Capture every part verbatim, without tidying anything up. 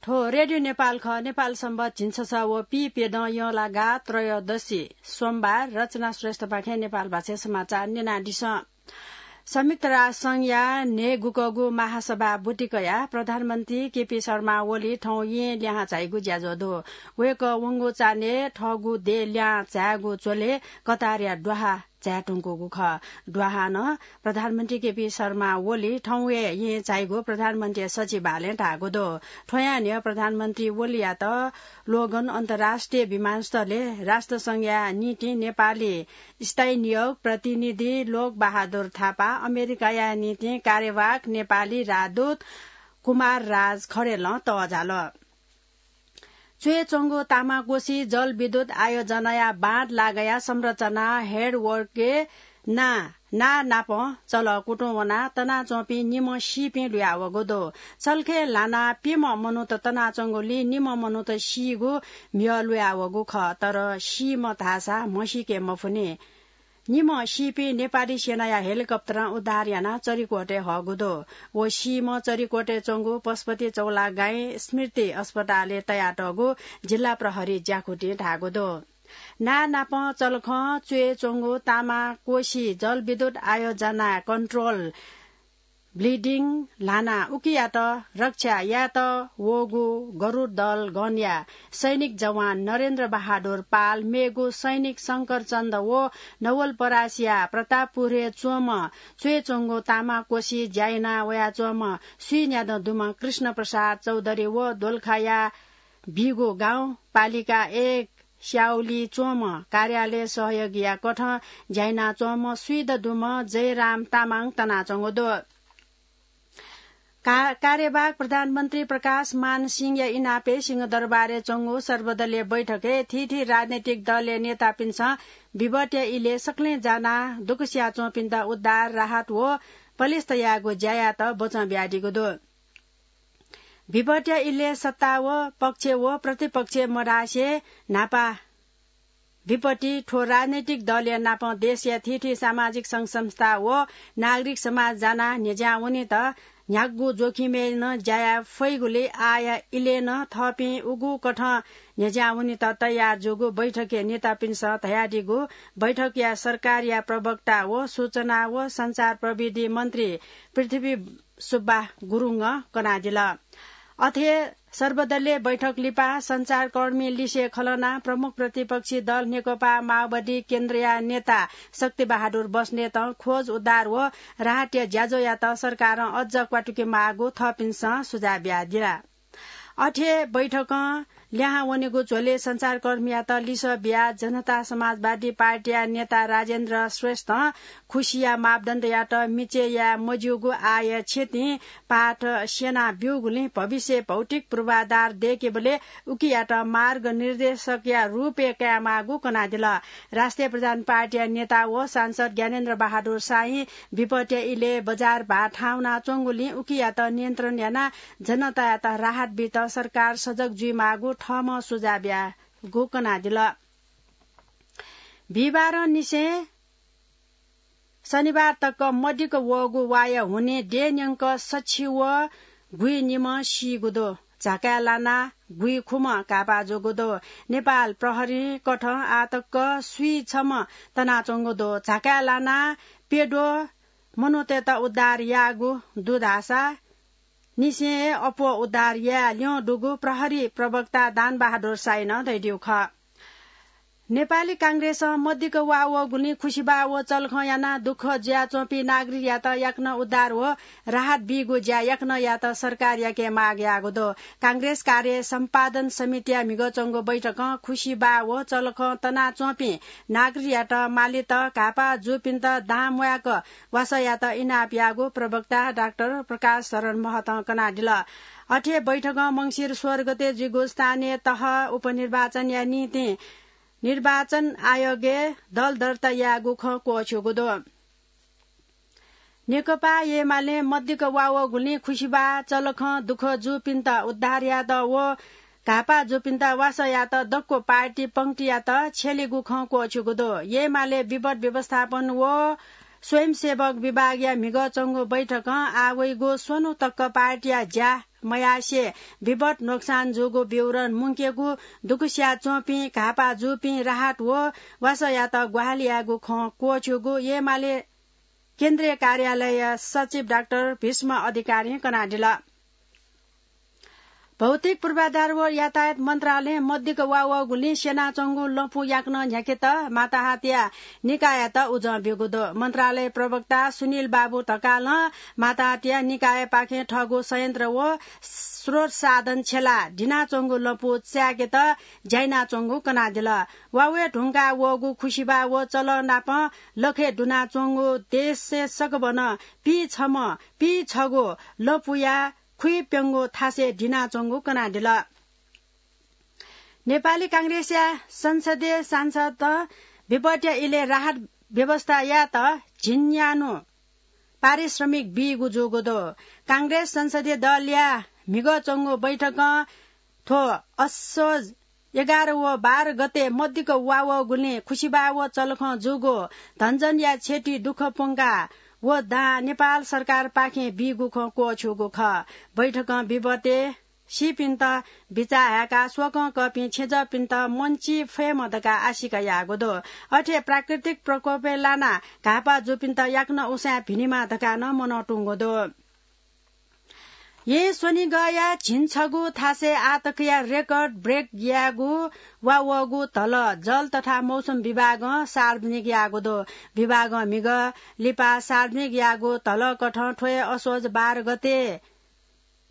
हो, रेडियो नेपाल खः। नेपाल सम्बत झिंछसः व पीप्यदँ यंलागा त्रयोदशी सोमबार। रचना श्रेष्ठपाखें नेपाल भाषाय् समाचार न्यनादिसँ। संयुक्त राष्ट्र संघया न्हय्‌गुकःगु महासभा ब्वति कयाः प्रधानमन्त्री केपी शर्मा ओली थौं येँ लिहां झाइगु ज्याझ्वः दु। वय्‌कः वंगु चान्हय् थःगु देय् लिहां झायेगु झ्वलय् कतारया द्वाहा झाये धुंकूगु खः। द्वाहां नं प्रधानमन्त्री केपी शर्मा ओली थौं हे येँ झाइगु प्रधानमन्त्री सचिवालयं धाःगु दु। थ्वयां न्ह्यः प्रधानमन्त्री ओलीयात लोगन अन्तर्राष्ट्रिय विमानस्थलय् राष्ट्रसंघया निंतिं नेपाली स्थायी नियोग प्रतिनिधि लोकबहादुर थापा, अमेरिकाया निंतिं कार्यवाहक नेपाली राजदूत कुमार राज खरेलं तःजाल। च्वय् च्वंगु तामाकोशी जलविद्युत आयोजनाया बाँध लागाया संरचना हेडवर्कय् ना, ना नापं चलः कुतुं वनाः तनाच्वंपिं निम्ह सीपिं लुयावःगु दु। चलखय् ल्हानाः प्यम्ह मनूत तनाच्वंगुलिं निम्ह मनूत सीगु म्हिगः लुयावःगु खः, तर सीम्ह धाःसा म्हसीके मफुनि। निम्ह सीपिं नेपाली सेनाया हेलिकप्टरं उद्धार यानाः चरिकोटय् हःगु दु। व सीम्ह चरिकोटय् च्वंगु पशुपति चौलागाईं स्मृति अस्पतालय् तयातःगु जिल्ला प्रहरी ज्याकुथिं धाःगु दु। ना नापं चलखं च्वय् च्वंगु तामाकोशी जलविद्युत आयोजना कन्ट्रोल ब्लिडिङ ल्हानाः उकियात रक्षा यायेत वःगु गरुड दल गणया सैनिक जवान नरेन्द्र बहादुर पाल, मेगु सैनिक शंकर चन्द व नवलपरासीया प्रतापपुरय् च्वंम्ह च्वय् च्वंगु तामाकोशी ज्या याना वयाच्वंम्ह स्वीन्यादँ दुम्ह कृष्ण प्रसाद चौधरी व दोलखाया बीगु गाउँपालिका एक स्याउली च्वंम्ह कार्यालय सहयोगीया कथं ज्या यानाच्वंम्ह स्वीदँ दुम्ह जयराम तामाङ तनाच्वंगु दु। का-, कार्यवाहक प्रधानमन्त्री प्रकाश मान सिंहया इनापय् सिंहदरबारय् च्वंगु सर्वदलीय बैठकय् थीथी राजनैतिक दलया नेतापिन्सं विपत्तिया इलय् सकलें जानाः दुःख सियाच्वंपिन्त उद्धार, राहत व पलिस्था यायेगु ज्यायात बचं बियादीगु दु। विपत्तिया इलय् सत्ता व पक्ष व प्रतिपक्ष मधासे न्हापा विपत्ति थ्व राजनैतिक दलया नापं देशया थीथी सामाजिक संघ संस्था व नागरिक समाज जानाः न्ह्यज्यां वनेत न्ह्यागु जोखिमय् नं ज्या याये फइगुलिं आःया इलय् नं थःपिं उगु कथं न्ह्यज्यां वनेत तयार जूगु बैठकय् नेतापिन्सं धयादीगु बैठकया सरकारया प्रवक्ता व सूचना व सञ्चार प्रविधि मन्त्री पृथ्वी सुब्बा गुरुङं कनादिल। अथे सर्वदलीय बैठक लिपा सञ्चारकर्मी लिसे खलनाः प्रमुख प्रतिपक्षी दल नेकपा माओवादी केन्द्रया नेता शक्ति बहादुर बस्नेतं खोज उद्धार व राहतया ज्याझ्वःयात सरकारं अझ क्वातुके माःगु थःपिन्सं सुझाव बियादिल। अथे बैठकं लिहां वनेगु झ्वलय् सञ्चारकर्मीयात लिसः बियाः जनता समाजवादी पार्टीया नेता राजेन्द्र श्रेष्ठं खुसिया मापदण्डयात मिचय् याये मज्यूगु आःया क्षतिं पाठ स्यना ब्यूगुलिं भविष्यय् भौतिक पूर्वाधार दय्केबलय् उकियात मार्गनिर्देशकया रूपय् कायेमाःगु कनादिल। राष्ट्रिय प्रधान पार्टीया नेता व सांसद ज्ञानेन्द्र बहादुर शाही विपत्तिया इलय् बजार भाः थाहां वनाच्वंगुलिं उकियात नियन्त्रण यानाः जनतायात राहत बीत सरकार सजग जुइमाःगु थःम्हं सुझाव बियागु कनादिल। बिहिबारंनिसें शनिबार तक मदिक्क वःगु वाया हुनिं देय् न्यंक सछि व गुइनिम्ह सीगु दु। झाकाय् लानाः गुइखुम्ह घाःपाः जूगु दु। नेपाल प्रहरीं कथं आः तक स्वीछम्ह तनाच्वंगु दु। झाकाय् लानाः प्यद्वः मनूतय्त उद्धार याःगु दु धाःसा निसें हे अप्वः उद्धार याये ल्यं दुगु प्रहरी प्रवक्ता दानबहादुर शाहीनं धयादीगु खः। नेपाली कांग्रेसं मदिक्क वा वःगुलिं खुसिबाः व चलखं यानाः दुःख जुयाच्वंपिं नागरिकयात याकनं उद्धार व राहत बीगु ज्या याकनं यायेत सरकारयाके माग याःगु दु। कांग्रेस कार्य सम्पादन समितिया म्हिगः च्वंगु बैठकं खुसिबाः व चलखं तनाच्वंपिं नागरिकयात मालीत घाःपाः जूपिन्त दां म्वायेक वासःयात इनाप याःगु प्रवक्ता डाक्टर प्रकाश शरण महतं कनादिल। अथे बैठकं मंसिर सोह्र गते जुइगु स्थानीय तह उपनिर्वाचनया निंतिं निर्वाचन आयोगय् दल दर्ता यायेगु खँ क्वःछ्यूगु दु। नेकपा एमालें मदिक्क वा वःगुलिं खुसिबाः, चलखं दुःख जूपिन्त उद्धार यायेत व घाःपाः जूपिन्त वासः यायेत दक्व पार्टी पंक्तियात छ्यलेगु खँ क्वःछ्यूगु दु। एमाले विपद व्यवस्थापन व स्वयंसेवक विभागया म्हिगः च्वंगु बैठकं आः वइगु स्वन्हु तक पार्टीया ज्या मयासें विपत नोक्सान जूगु विवरण मुंकेगु, दुःखस्याः च्वंपिं घाःपाः जूपिं राहत व वासःयात ग्वाहालि यायेगु खँ क्वःछिउगु एमाले केन्द्रीय कार्यालय सचिव डाक्टर भीष्म अधिकारीं कनादिल। भौतिक पूर्वाधार व यातायात मन्त्रालयं मदिक्क वा वःगुलिं स्यनाच्वंगु लँपु याकनं न्ह्याकेत माताहतया निकाययात उजं ब्यूगु दु। मन्त्रालय प्रवक्ता सुनिल बाबु ढकालं माताहतया निकायपाखें थःगु संयन्त्र व स्रोत साधन छ्यलाः दिनाच्वंगु लँपु चाय्‌केत ज्या यानाच्वंगु कनादिल। वा वये धुंकाः वःगु खुसिबाः व चलः नाप लखय् दुनाच्वंगु देशय् सकभनं पीछम्ह पीछगू लँपुया खुइप्यंगू थासय् दिनाच्वंगु कनादिल। नेपाली कांग्रेसया संसदीय सांसदं विपतया इलय् राहत व्यवस्था यायेत झिंन्यान्हु पारिश्रमिक बीगु जूगु दु। कांग्रेस संसदीय दलया म्हिगः च्वंगु बैठकं थ्व असोज एघार व बाह्र गते मदिक्क वा वःगुलिं खुसिबाः व चलखं जूगु धनजनया क्षति दुःख प्वंका व दां नेपाल सरकारपाखें बीगु खँ क्वःछिउगु खः। बैठकं विपतय् सीपिन्त बिचाः हाय्‌काः स्वकं कःपिं छेँजःपिन्त मन्चि फयेमा धकाः आशिका याःगु दु। अथे प्राकृतिक प्रकोपय् लानाः घाःपाः जूपिन्त याकनं उसाँय् भिनेमा धकाः नं मनंतुंगु दु। येँ स्वनिगःया झिंछगू थासय् आःतकया record break यायेगु वा वःगु धलः जल तथा मौसम विभागं सार्वजनिक याःगु दु। विभागं म्हिगः लिपा सार्वजनिक याःगु धलःकथं थ्व हे असोज बाह्र गते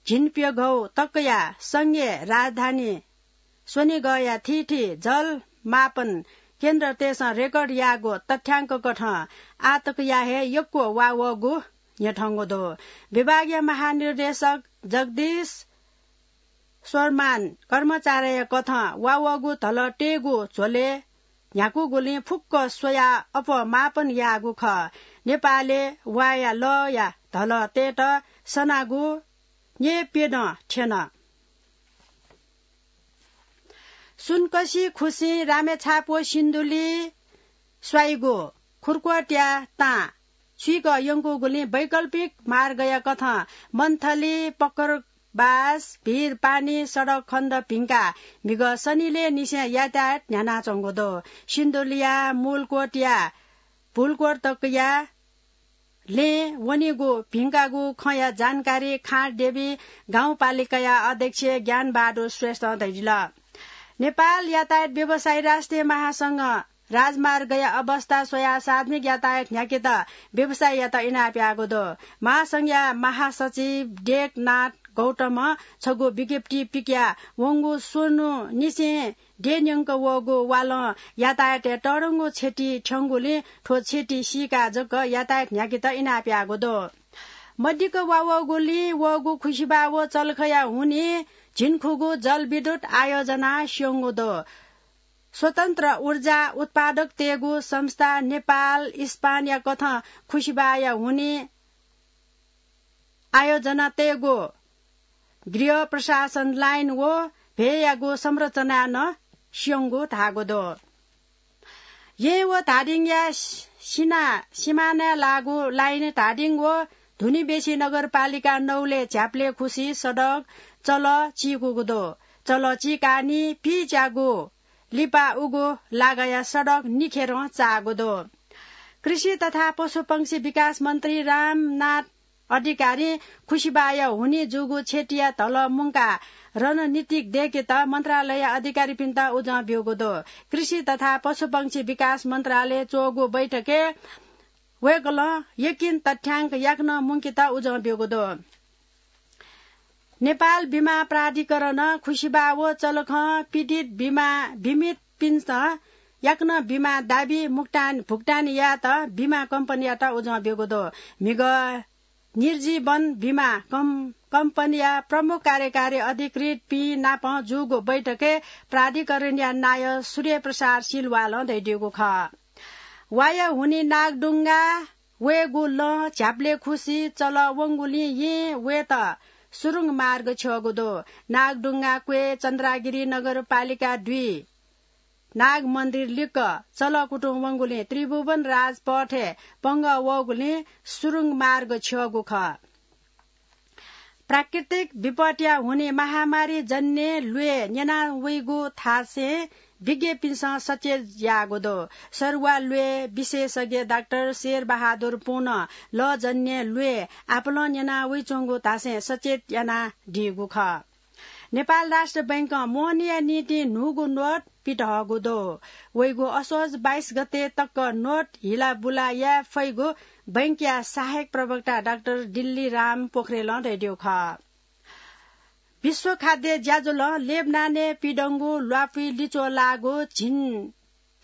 झिंप्यघौ तकया संघीय राजधानी स्वनिगःया थीथी जल मापन केन्द्रतय्‌सं record याःगु तथ्याङ्ककथं आःतकया हे यक्व वा वःगु न्ह्यथंगु दु। विभागया महानिर्देशक जगदीश स्वरमान कर्मचारीया कथं वा वःगु धलः तयेगु झ्वलय् न्ह्याकूगुलिं फुक्क स्वयाः अप्वः मापन याःगु खः। नेपालय् वाया लःया धलः तयेत सनागु न्येप्यदँ थ्यन। सुनकसि खुसिं रामेछाप व सिन्धुली स्वाइगु खुर्कोटया तां छुइक यंकूगुलिं वैकल्पिक मार्गया कथं मन्थली, पकरबास, भिरपानी सडक खण्ड भिंकाः म्हिगः सनिलय् निसें यातायात न्ह्यानाच्वंगु दु। सिन्धुलीया मूलकोटया भुलकोट तकया लँय् वनीगु भिंकागु खँया जानकारी खाँटदेवी गाउँपालिकाया अध्यक्ष ज्ञानबहादुर श्रेष्ठं धयादिल। नेपाल यातायात व्यवसायी राष्ट्रिय महासंघं राजमार्गया अवस्था स्वयाः सार्वजनिक यातायात न्ह्याकेत व्यवसायीयात इनाप याःगु दु। महासंघया महासचिव टेकनाथ गौतमं छगू विज्ञप्ति पिकया वंगु स्वन्हु निसें द्यःन्यंक वःगु वालं यातायातय् तःधंगु क्षति थ्यंगुलिं थ्व क्षति सीकाः जक यातायात न्ह्याकेत इनाप याःगु दु। मदिक्क वा वःगुलिं वःगु खुसिबाः व चलखया हुनिं झिंखुगू जलविद्युत आयोजना स्यंगु दु। स्वतन्त्र ऊर्जा उत्पादकतय्‌गु संस्था नेपाल इस्पानया कथं खुसिबाःया हुनिं आयोजना तयेगु गृह प्रशासन लाइन व भ्वय्‌यागु संरचना नं स्यंगु धाःगु दु। येँ व धादिङया सिना, सिमानाय् लाःगु लाइन धादिङ व धुनिबेसी नगरपालिका नौलय् झ्याप्ले खुसी सडक चलः चीकूगु दु। चलः चीकाः निपिच्यागु लिपा उगु लागाया सडक निखेरं चाःगु दु। कृषि तथा पशुपंक्षी विकास मन्त्री रामनाथ अधिकारीं खुसिबाःया हुनिं जूगु क्षतिया धलः मुंकाः रणनीतिक दय्‌केत मन्त्रालय अधिकारीपिन्त उजं ब्यूगु दु। कृषि तथा पशुपंक्षी विकास मन्त्रालयय् च्वःगु बैठकय् वय्‌कलं यकिन तथ्याङ्क याकनं मुंकेत उजं ब्यूगु दु। नेपाल बिमा प्राधिकरणं खुसिबाः व चलखं पीडित बिमा, बिमितपिन्सं याकनं बिमा दाबी मुक्तान, भुक्तानी यायेत बिमा कम्पनीयात उजं ब्यूगु दु। म्हिगः निर्जीवन बिमा कम-, कम्पनीया प्रमुख कार्यकारी अधिकृतपिं नाप जूगु बैठकय् प्राधिकरणया नायः सूर्य प्रसाद सिलवालं धयादीगु खः। वाया हुनिं नागढुङ्गा वयेगु लँ झ्याप्ले खुसी चलः वंगुलिं येँ वयेत सुरुङ मार्ग छ्यःगु दु। नागढुङ्गा क्वय् चन्द्रागिरी नगरपालिका दुई नाग मन्दिर लिक्क चलकुतुं वंगुलिं त्रिभुवन राजपथय् पंगः वःगुलिं सुरुङ मार्ग छ्यःगु खः। प्राकृतिक विपत्तिया हुनिं महामारी जन्य ल्वय् न्यना वइगु थासें विज्ञपिन्सं सचेत याःगु दु। सरुवा ल्वय् विशेषज्ञ डाक्टर शेर बहादुर पुनं लःजन्य ल्वय् आपालं न्यना वइच्वंगु धासें सचेत यानादीगु खः। नेपाल राष्ट्र बैंकं मोहनीया निंतिं न्हूगु नोट पितःगु दु। वइगु असोज बाइस गते तक नोट हिलाबुला याये फइगु बैंकया सहायक प्रवक्ता डाक्टर दिल्ली राम पोखरेलं धयादीगु खः। विश्व खाद्य ज्याझ्वलं लेबनानय् पिदंगु ल्वापुइ लिच्वः लाःगु झिन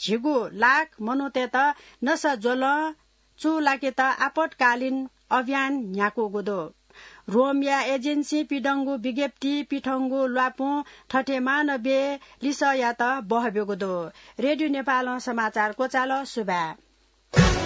झिगू लाख मनूतय्त नसा ज्वलं चूलाकेत आपतकालीन अभियान न्ह्याकूगु दु। रोमया एजेन्सीं पिदंगु विज्ञप्ति पिथंगु ल्वापुं थथे मानवीय लिसःयात बहब्यूगु दु। रेडियो नेपालं समाचार क्वचाल। सुभाय्।